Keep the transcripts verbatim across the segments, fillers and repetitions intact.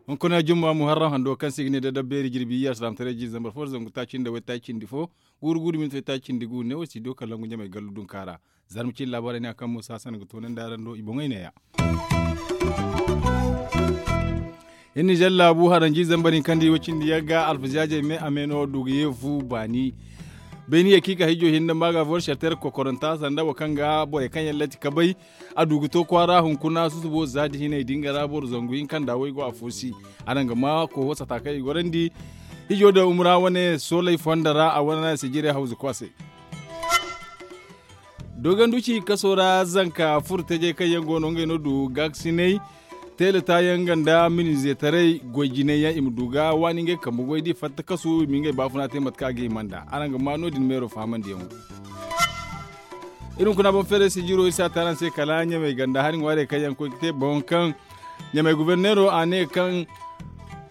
Hunkuna jumma muharram hando kaŋ se i ga ne da dabbeeri jirbi iyya salaamataray jiiri zambar fo da zangu taaci nda waytaaci cindi fo, guuru guuru minti waytaaci cindi gu ne wo si do kala ngu ɲamay gallu dunka ra. Zarma cine laabaarey ne a kaŋ muusa sanda ga toonandi araŋ do i boŋey neeya. Iri nizer laabu haranji zambar hinka nda i way cindi yagga alfazaazey me a me no du ga ye fu baani. Beeni ye kaŋ i ka hijjo hinne maaga boro sharter kokoranta sanda wo kaŋ ga borey kaŋ yaŋ latti ka bay. A du ga to kwaara hunkuna susubo za da hinay din ga ra boro zangu hinka nda way go afo si. Araŋ ga ma kooho sata kaŋ i gorandi. Hijo da umra wane soolay fonda ra a wane sijirey hawzu kwaasay. Dogonduci kaso ra zanka furo tajey kaŋ yaŋ go no ngey no du gaakasinay. Teela taayaŋ nga nda minizetaray goy jinay yaŋ i ma du ga waani ngey kambe goy da i fatta kasu i ma ngey baafuna te mate kaŋ a ga hima nd'a araŋ ga ma no- din meero fahamandiyaŋo. Iri hunkuna boŋ feeray sijiro iri si a te araŋ se kala ɲamay ganda hari ŋwaarey kaŋ yaŋ ga koy ga te boŋ kaŋ ɲamay guberneero a ne kaŋ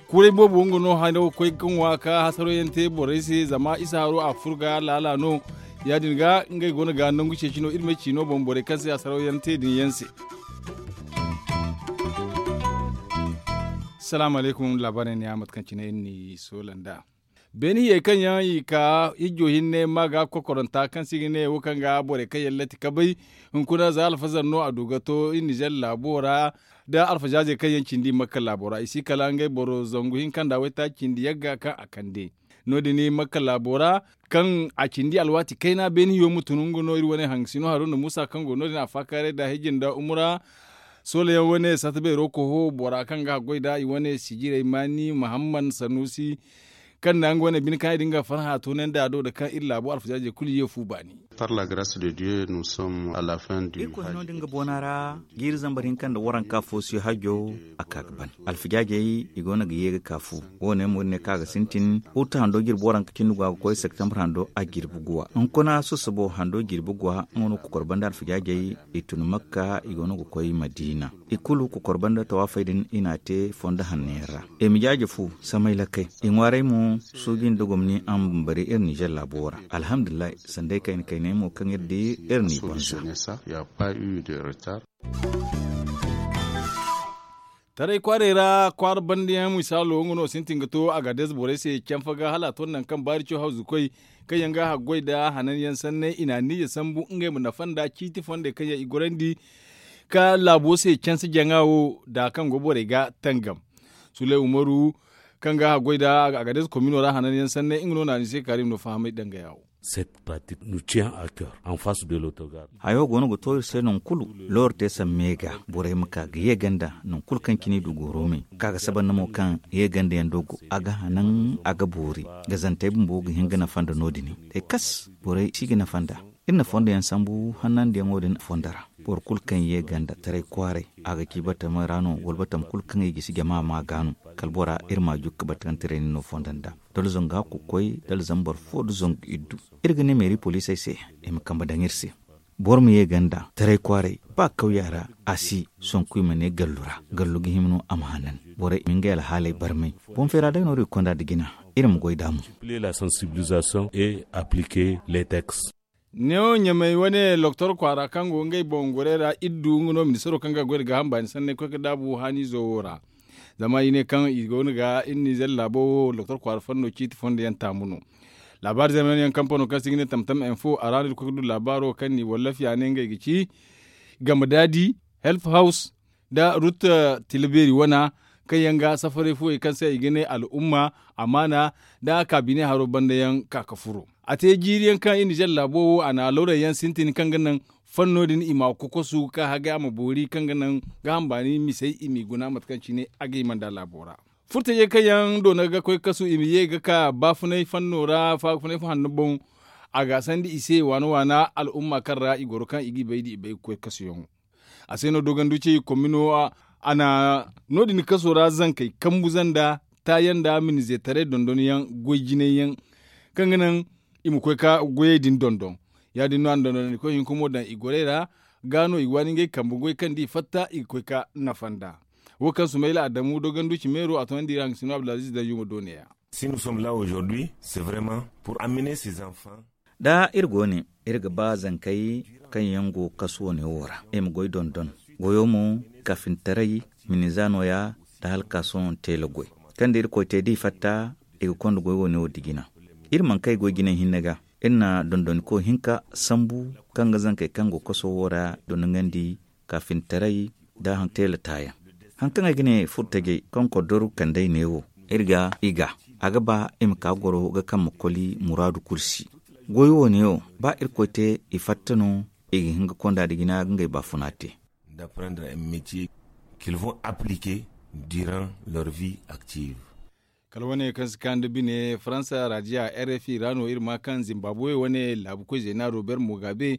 kuray boobo nga no hano ga koy ga ŋwa ka hasaro yaŋ te borey se zama isa haro a furo ga laala no. Ya- din ga ngey go no ga nangu ceeci no iri ma ay ci no boŋ borey kaŋ se hasaro yaŋ te din yaŋ se. Salaamu alaykum laabaarey ne ya mate kaŋ cine iri n'i soola nd'a. Beene hiyey kaŋ yaŋ i ka hijjo hinne ma ga kokoranta kaŋ se i ga ne wo kaŋ ga borey kaŋ yaŋ latti ka bay. Hunkuna za alfazar no a du ga to iri nizer laabo ra da alfazaazey kaŋ yaŋ cindi makka laabo ra i si kala ngey boro zangu hinka nda waytaaci cindi yagga kaŋ a kande. No- din makka laabo ra kaŋ a cindi alwaati kayna beene hiyo ma tun nga no iri wane hangasino haruna muusa kaŋ go no- din a faakaaray da hijji nda umura. Soolayaŋ wane satta beero koho bora kaŋ ga haggoy nd'a i wane sijirey maani mahamman sanuusi kaŋ na nga wane bine kaŋ ay din ga farhã toonandi a do da kaŋ iri laabo alfazaazey kulu ye fu baani. Par la grace de dieu nous sommes à la fin du hajj. Irkoy hino din ga boona ra jiiri zambar hinka nda waranka fo si hajjo. A ka ga ban alfazaazey i go no ga ye ga ka fu. Wo- ne mo iri ne kaŋ a ga sintin uta hando jirbi waranka cindi go a ga koy septembre hando a jirbi guwa hunkuna susubo hando jirbi guwa nga no kokor banda alfazaazey i tun makka i go no ga koy madiina. I kulu kokor banda tawaafey din i n'a te fondo hanno yaŋ ra. I ma jaaje fu samay lakkay i ŋwaaray mo. Suuji nda gomni a ma bambari iri nizer laabo ra. Alhamdulillahi sanda ay kayna kaynay mo kaŋ iri di iri n'i banza. Taray kwaarey ra kwaara banda yaŋ misaalo nga no sintin ga to a ga deeze borey se canfa ga hala a to nangu kaŋ baari co hawzu koy kaŋ yaŋ ga haggoy nda hanan yaŋ sanney i n'a niize sambu ngey ma nafa nda ciiti fondey kaŋ yaŋ i gorandi ka laabo se canse jaŋa wo da kaŋ go borey ga tangam. Suley umaru kaŋ ga haggoy nda a ga deeze komino ra hanan yaŋ sanney nga no na ni se kaarim no fahamay dangaya wo. Cette pratique nous tient à cœur en face de l'autogar. Hayo go no ga to iri se nangu kulu looro te samme ga borey ma ka ga ye ganda nangu kulu kaŋ cine i du gooro me ka ga saba nda mo kaŋ ye ganda yaŋ do go a ga hanan a ga boori. Gazantey bumbo ga hin ga nafa nda no- din day kas borey si ga nafa nda iri na fondo yaŋ sambu hannandiyaŋo din fondo ra. Boro kulu kaŋ ye ganda taray kwaaray a ga ci batama ra no wala batama kulu kaŋ i gisi jama ma ga no. Kala bora iri ma jukka batama tiray ni no fondo nda da luzon ga kokoy da luzon boro fo da zongu iddu. Iri ga ne meeri poliisey se i ma kambe daŋ iri se. Boro ma ye ganda taray kwaaray ba kawya ra a si sonku i ma ne gallu ra gallu ga hima no a ma hanan. Borey i ma ngey alhaaley barmay boŋ feera day no iri ga konda nda jina. Iri ma goy nd'a mo. Multiplier la sensibilisation et appliquer les textes. Neewo ɲamey wane loktor kwaara kaŋ go ngey boŋ gorey ra iri du nga no ministaro kaŋ ga goy nda gaaham baani sanney koy ga daabu haaniizo wo ra. Zama i ne kaŋ i go no ga iri nizer laabo wo loktor kwaara fanno ciiti fondo yaŋ taamu no. Laabaari zeeman yaŋ kampano kaŋ se i ga ne tamtam info a ra no iri koy ga du laabaaro kaŋ ni wallafi a ne ngey ga ci game daadi, help house, nda rutta tilabeeri wana kaŋ yaŋ ga safaray fuwey kaŋ se i ga ne al'umma amaana nda kaabine haro banda yaŋ ka ga furo. A te jiiri yaŋ kaŋ iri nizer laabo wo a na lawray yaŋ sintin kaŋ ga naŋ fanno din i ma kokosu ka hagay a ma boori kaŋ ga naŋ gaaham baani misey i m'i guna mate kaŋ cine a ga hima nd'a laabo ra. Furtajey kaŋ yaŋ doona ga koy kasu i ma ye ga ka baafunay fanno ra baafunay fo hanno boŋ. A ga sandi i se waana waana al'umma kaŋ ra i goro kaŋ i g'i bay da i bay ga koy kasuyaŋo. A se no doganduci komino a na no- din kaso ra zankey kambu zanda taayaŋ nda minizetaray dondonyaŋ goy jinay yaŋ kaŋ ga naŋ i ma koy ka goyey din dondon. Ya- din no a na dondonandikoy hinka mo daŋ i gorey ra. Ga no i ga waani ngey kambe goy kaŋ da i fatta i ga koy ka nafa nd'a. Wo kaŋ sumayla adamu doganduci meero a toonandi iri hangasino abdulaziz danju ma do neeya. Si nous sommes là aujourd'hui, c'est vraiment pour amener ces enfants. Da iri go ne, iri ga ba zankey kaŋ yaŋ go kaso ne wo ra i ma goy dondon. Goyo mo, kafintaray, miniza nooya, da hala ka sohõ teela goy. Kaŋ da irkoy te da i fatta, i ga konda goy wo ne wo dijina. Iri mana kay goy jinay hinne ga. Iri na dondoniko hinka sambu, kaŋ ga zankey kaŋ go kaso wo ra dondongandi, kaafintaray, da teela taayaŋ. Haŋ kaŋ ay ga ne furtajey kaŋ kodoro kand'ey ne wo, iri ga i ga a ga ba i ma ka goro ga kamma koli muraadu kulu si. Goyo wo ne wo, ba irkoy te, i fatta no, i ga hin ga konda nda jina ga ngey baafuna te. D'apprendre un métier qu'ils vont appliquer durant leur vie active. Kala wane kaŋ si kaan da bine faransa raadiya, rfi ra no iri ma kaŋ zimbabuwe wane laabu koy zeena robert mugabe,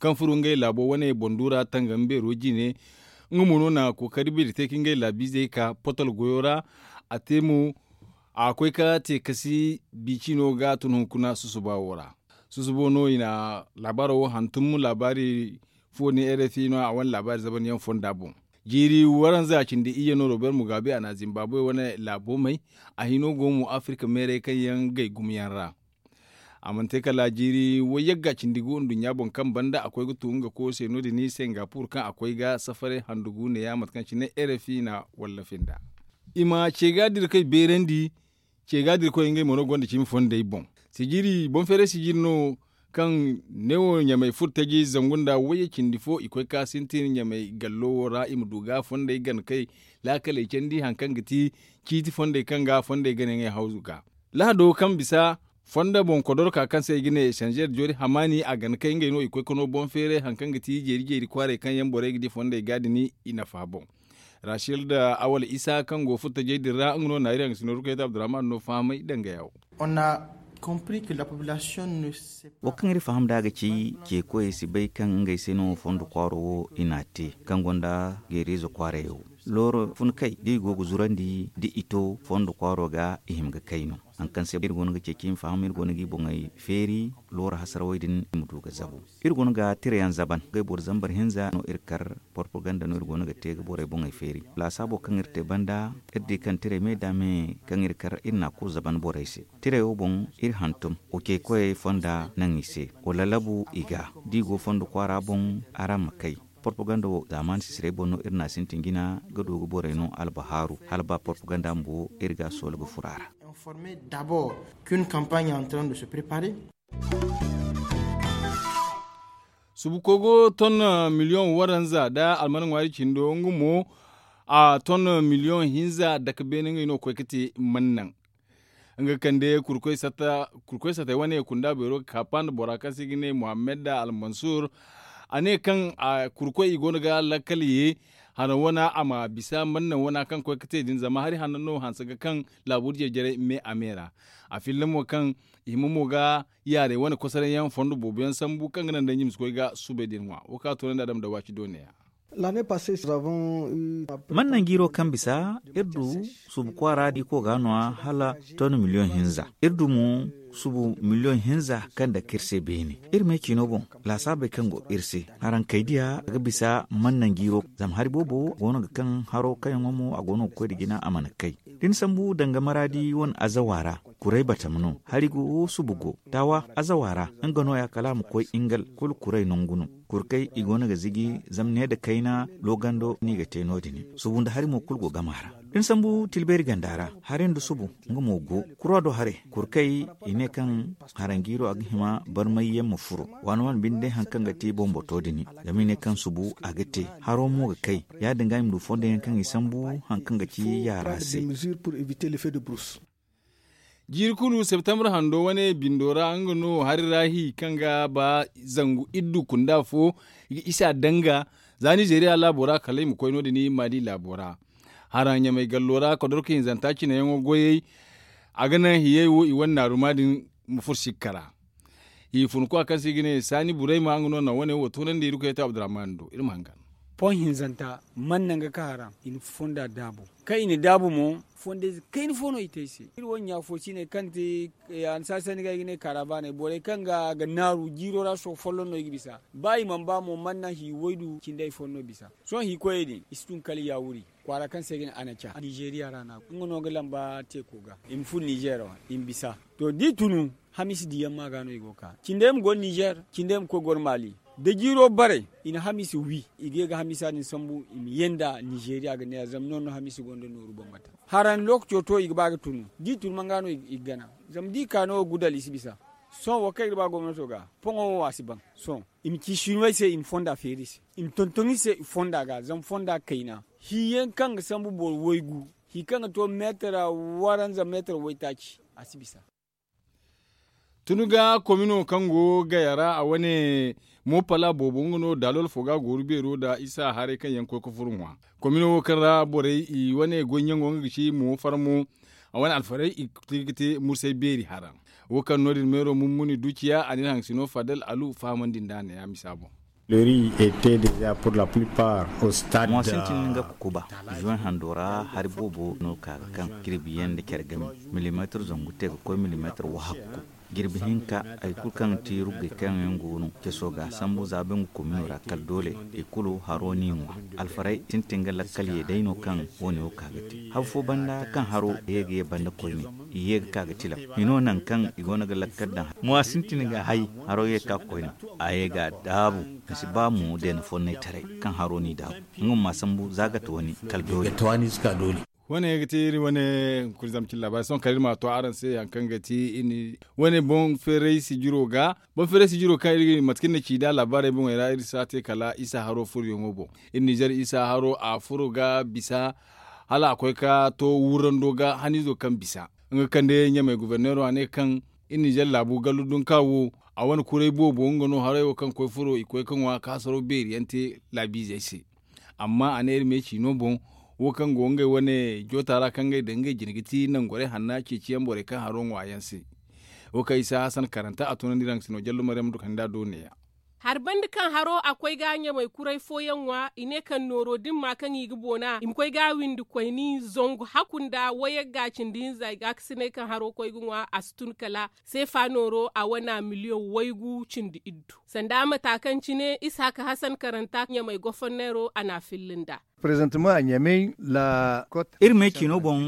kaŋ furo ngey laabo wane bondo ra tangam beero jine. Nga mo no na kookari beeri te ka ngey laabiizey ka potol goyo ra. A te mo, a koy ka te kasi biicino ga tun hunkuna susuba wo ra. Susubo no i na laabaaro wo hantum laabaari fo ne rfi no a wane laabaari zaban yaŋ fonda boŋ. Jiiri waranza cindi iyye no robert mugabe a na zimbabuwe wane laabo may. A hino go mo afirka meeray kaŋ yaŋ gay gumo yaŋ ra. A mana te kala jiiri wayyagga cindi gu nduɲɲa boŋ kaŋ banda a koy ga tu nga koy se no- din singapur kaŋ a koy ga safaray handu gu neeya mate kaŋ cine rfi na wallafi nda. I ma ce ga dira kay beerandi. Ce ga dira koy ngey mo no gonda cimi fondey boŋ. Sijiri boŋ feeray sijiri no kaŋ ne wo ɲamay furtaji zangu nda wayye cindi fo i koy ka sintin ɲamay gallo wo ra i ma du ga fondey gana kay laakaley candi hari kaŋ ga ti ciiti fondey kaŋ ga fondey gana ngey hawzu ga. Lahado kaŋ bisa fonda boŋ kodorka kaŋ se i ga ne esanzeer joori hamaani a gana kay ngey no i koy ka no boŋ feeray hari kaŋ ga ti jeeri jeeri kwaaray kaŋ yaŋ borey ga di fondey ga din i nafa boŋ. Rachel da awal isa kaŋ go furtajey din ra nga no naari haŋ ga si nooru kayta abdurrahman no fahamay danga yawo. Wo kaŋ iri faham da ga ci ceekoyey si bay kaŋ ngey se no fondo kwaaro wo i n'a te kaŋ gonda geeriize kwaarey wo. Looro fun kay da i go ga zurandi da i to fondo kwaaro ga i hima ga kay no. Hari kaŋ se iri go no ga ceeci i ma faham iri go no ga i boŋey feeri looro hasarawey din i ma du ga zabu. Iri go no ga tirayaŋ zaban ngey boro zambar hinza no iri kar. Porpaganda no iri go no ga te ga borey boŋey feeri laasaabo kaŋ iri te banda. Iri di kaŋ tiray me da me kaŋ iri kar iri n'a kulu zaban borey se. Tiray wo boŋ iri hantum, wo ceekoyey fonda naŋ i se, wo lalabu i ga da i go fondo kwaara boŋ. Araŋ ma kay porpaganda wo zaamaani sisirey boŋ no iri n'a sintin jina ga du ga borey no albahaaru hala ba porpaganda bumbo iri ga a soola ga furo a ra. Subu kogo ton miliyoŋ waranza nda alman ŋwaari cindo nga mo a ton miliyoŋ hinza dake beene ngey no ga koy ga te mannaŋ. Nga kande kurkoy satay wane kunda beero ga kaapa nda bora kaŋ se i ga ne muhammad almansur. A ne kaŋ kurkoy i go no ga lakkal ye hana wana a ma bisa mannaŋ wana kaŋ koy ga te din zama hari hanno no hanse ga kaŋ laabu diya jaray me a me ra. A filla mo kaŋ i hima mo ga yaaray wane kosoray yaŋ fondo boobo yaŋ sambu kaŋ ga naŋ day ɲima si koy ga subay din ŋwa wo kaŋ a toonandi a dama da waaci doone ya. Mannan jiiro kaŋ bisa iri du subu kwaara diiko ga no a hala ton miliyoŋ hinza iri du mo subu miliyoŋ hinza kaŋ dake iri se beene. Iri me ciino boŋ laasaabey kaŋ go iri se haraŋ kay diya a ga bisa mannan jiiro zama hari boobo go no ga kaŋ haro kaŋ yaŋo mo a go no ga koy nda jina a mana kay. Da ni sambu danga maraadi wane azawa ra kuray batama no hari go subu go taawa azawa ra nga no- ya kala a ma koy ingal kulu kuray nangu no. Kurkey i go no ga ziji zama ne nda kayna loogando no i ga te no- din. Subu nda hari mo kulu go gama ra da ni sambu tilbeeri ganda ra hari nda subu nga mo go kura do haray. Kurkey i ne kaŋ haranjiiro a ga hima barmay yaŋ ma furo waani waani binde hari kaŋ ga te bomboto din. Zama i ne kaŋ subu a ga te haro mo ga kay ya-din ga i ma du fondo yaŋ kaŋ i sambu hari kaŋ ga ci yaara se. Jiiri kulu septembre hando wane bindo ra nga no hari ra hi kaŋ ga ba zangu iddu kunda fo i ga isa danga za nizeeriya laabo ra kala i ma koy no- din mali laabo ra. Hara ɲamay gallo ra kodorka hinzanta cine yaŋo goyey a ga naŋ hiyey wo i wane naaruma din ma furo sikka ra. Hi funku a kaŋ se i ga ne saani burayma nga no naŋ wane wo toonandi iri koy ta abdurrahman do iri ma hangan. Pon hinzanta man naŋ ga ka haram i na fonda daabo. Kaŋ i na daabu mo, fondayze kayna fo no i te ay se. Iri wane ɲaafo cine kaŋ te, a na saasandi ga ay ga ne kaaraabaaney borey kaŋ ga naaru jiiro ra sohõ folloŋ no i ga bisa. Ba i mana ba mo mana hi waydu cindi ay fo no bisa. Sohõ hi koyey din i si tun kala yaawuri kwaara kaŋ se i ga ne anaca nizeeriya ra no a go nga no ga lamba teeko ga i ma fun nizeer ra i ma bisa. To da i tunu hamiisi diyaŋ ma ga no i go ga ka cindey ma goro nizeer, cindey ma koy goro maali. Da jiiro bare i na hamiisi wi i ga ye ga hamiisa din sambu i ma ye nda nizeeriya ga ne ya zama no- no hamiisi gonda nooru bambata. Haran lookaco to i ga ba ga tunu da i tunu man ga no i ga gana. Zama da i ka no wo gudal i si bisa. Sohõ wo kaŋ i ga ba gomnato ga poŋo wo a si ban. Sohõ i ma ci sinuwey se i ma fonda feeri i se, i ma tonton i se fonda ga zama fonda kayna. Hi yaŋ kaŋ ga sambu boro waygu, hi kaŋ ga to meetar waranza meetar waytaaci, a si bisa. Tun ga komino kaŋ go gaya ra a wane, moopala boobo nga no daalol fo ga gooru beero nda isa haray kaŋ yaŋ koy ga furo ŋwa. Komino wo kaŋ ra borey i wane goy ɲaŋo nga ga ci mo farmo, a wane alfarey i ga te mursay beeri hara. Wo kaŋ no- din meero mummuni duciya a na iri haŋ sino fadal alu fahamandi nd'a ne ya misa boŋ. Ŋwa sintin nga kukuba, juwan hando ra hari boobo no ka ga kaŋ jirbi yaŋ nda care game, milimeetar zangu te ga koy milimeetar wahakku. Jirbi hinka hari kulu kaŋ ga ti ruggey kaŋ yaŋ go no ceso ga sambu za bangu komino ra kala doole i kulu haro n'i ŋwa. Alfarey sintin ga lakkal ye day no kaŋ wo- ne wo ka ga te hari fo banda kaŋ haro ye ga ye banda koyne, i ye ga ka ga tilam. Hino nangu kaŋ i go no ga lakkal daŋ mo a sintin ga hay, haro ye ga ka ga koyne, a ye ga a daabu. A si ba mo deena fonnay taray kaŋ haro n'i daabu. Nga ma sambu za gate wane kala doole. Wane ga ti iri wane kurizam cilla bay sohõ kala iri ma a to araŋ se hari kaŋ ga ti wane boŋ feeray sijiro ga. Boŋ feeray sijiro kaŋ iri mate kaŋ iri na ci nd'a laabaarey boŋey ra iri si a te kala isa haro furoyaŋo boŋ. Iri nizer isa haro a furo ga bisa hala a koy ga to wurrando ga haniizo kaŋ bisa. Nga kande ɲamey goborneero a ne kaŋ iri nizer laabu gallu dunka wo, a wane kuray boobo nga no haray wo kaŋ koy furo i koy ga ŋwa ga hasaro beeri yaŋ te laabiizey se. Amma a ne iri ma ye ciino boŋ, wo kaŋ go ngey wane joota ra kaŋ ngey daŋ ngey jine ga ti nangorey hanna ceeciyaŋ borey kaŋ haro ŋwa yaŋ se. Wo kaŋ isa hasan karanta a tunandi raŋ sino jallo maryam du kaŋ da do neeya. Hari banda kaŋ haro a koy ga ɲamay kuray fooyaŋ ŋwa i ne kaŋ nooro din ma kaŋ i ga boona i ma koy ga a windi koyni zangu haku nda wayagga cindi hinza i ga a ga sinay kaŋ haro koy ga ŋwa a si tun kala seefa nooro a wana miliyoŋ waygu cindi iddu. Sanda mata kaŋ cine isa haka hasan karanta ɲamay goforneero a na a filli nda. Iri me ciino boŋ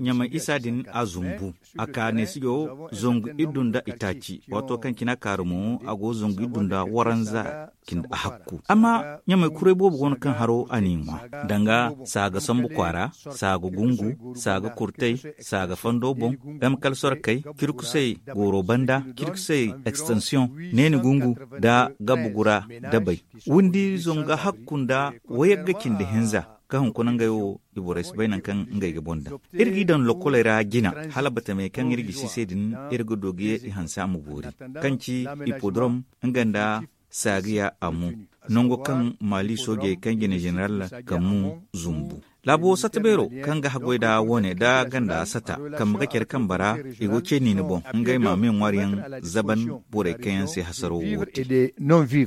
ɲamay isa din a zumbu a ka neesijo zangu iddu nda itaaci waato kaŋ cine a kaaru mo a go zangu iddu nda waranza cindi a hakku. Amma ɲamay kuray boobo go no kaŋ haro a n'i ŋwa danga saaga sambu kwaara, saaga gungu, saaga kurtay, saaga fondo boŋ, m kalsorkey, cirkusey, gooro banda, cirkusey, ekstensiyoŋ, neeni gungu, nda gabu gura dabey. Windi zangu hakku nda wayagga cindi hinza kaŋ hunkuna ngey wo i borey si bay nangu kaŋ ngey ga boŋ daŋ. Iri g'i daŋ lokoley ra jina hala batamey kaŋ iri gisi se din, iri ga du ga ye i hanse a ma boori, kaŋ ci ipodrom, nga nda saagiya a mu, nango kaŋ maali soojey kaŋ jine zeneral kammu zumbu. Laabo satta beero kaŋ ga haggoy nda wo- ne nda ganda satta kambe ga care kambe ra, i go ce niini boŋ ngey ma me ŋwaariyaŋ zaban borey kaŋ yaŋ se hasaro wo te.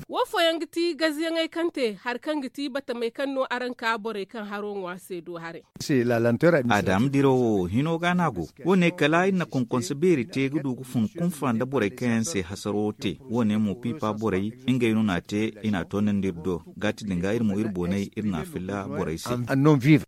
Wo fooyaŋ ga ti gaziyaŋey kaŋ te hari kaŋ ga ti batamey kaŋ no araŋ ka borey kaŋ haro ŋwa se do haray. A daama dirawo hino ga no a go. Wo- ne kala iri na konkonse beeri te ga du ga fun kunfa nda borey kaŋ yaŋ se hasaro te. Wo- ne mo piipa borey ngey no n'a te i n'a toonandi iri do. Gaati din ga iri mo iri boonay iri n'a filla borey se.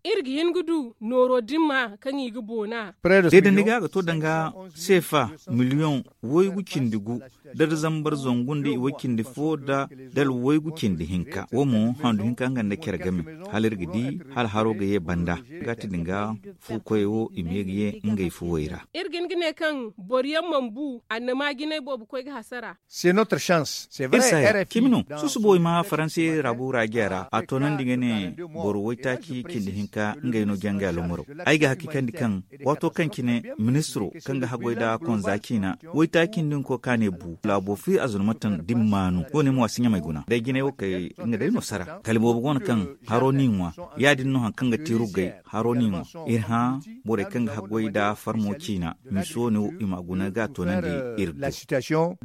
Iri ga hin ga du nooro dimma kaŋ i ga boona. Deedandi ga a ga to danga seefa miliyoŋ waygu cindi gu, da zambar zangu nda i way cindi fo da dala waygu cindi hinka wo mo handu hinka nga nda care game. Hala iri ga di hala haro ga ye banda. Gaati din ga fuukoyey wo i ma ye ga ye ngey fuwey ra. Iri ga hin ga ne kaŋ boro yaŋ mana bu annama jinay boobo koy ga hasara. Iri se ya cimi no. Susubo i ma faransi raabu raajiya ra a toonandi ga ne boro waytaaci cindi hinka ngey no janga lomaro. Ay ga hakikandi kaŋ waato kaŋ cine ministiro kaŋ ga haggoy nda konza ciina waytaaci nda nga koy ka ne bu laabo fi azurmatan da ni maanu wo- ne mo a si ɲamay guna day jinay wo kay nga day no sara kala boobo go no kaŋ haro n'i ŋwa. Ya- din no hari kaŋ ga te ruggay haro n'i ŋwa. Iri hã borey kaŋ ga haggoy nda farmo ciina misi wo- ne i m'a guna ga a toonandi iri do.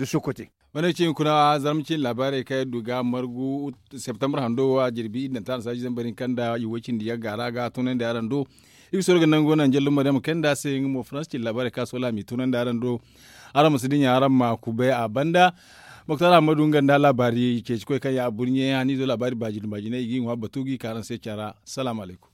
Wane cine kuna zarma cine laabaarey kaŋ iri du ga margu septembre hando wo a jirbi iri daŋ taana saaji zambar hinka nda i way cindi yagga ra ga a toonandi araŋ do. Iri ga soro ga nango naŋ jallo maryama kayna nda a se nga mo farans cine laabaarey kaŋ a soola a m'i tunandi araŋ do. Araŋ ma si dinya araŋ ma kubay a banda. Moktar ahamadu nga nda laabaari ceeci koy kaŋ ya a burɲe haniizo laabaari baajinay i g'i ŋwa batu g'i ka araŋ se care ra. Salaamu alaykum.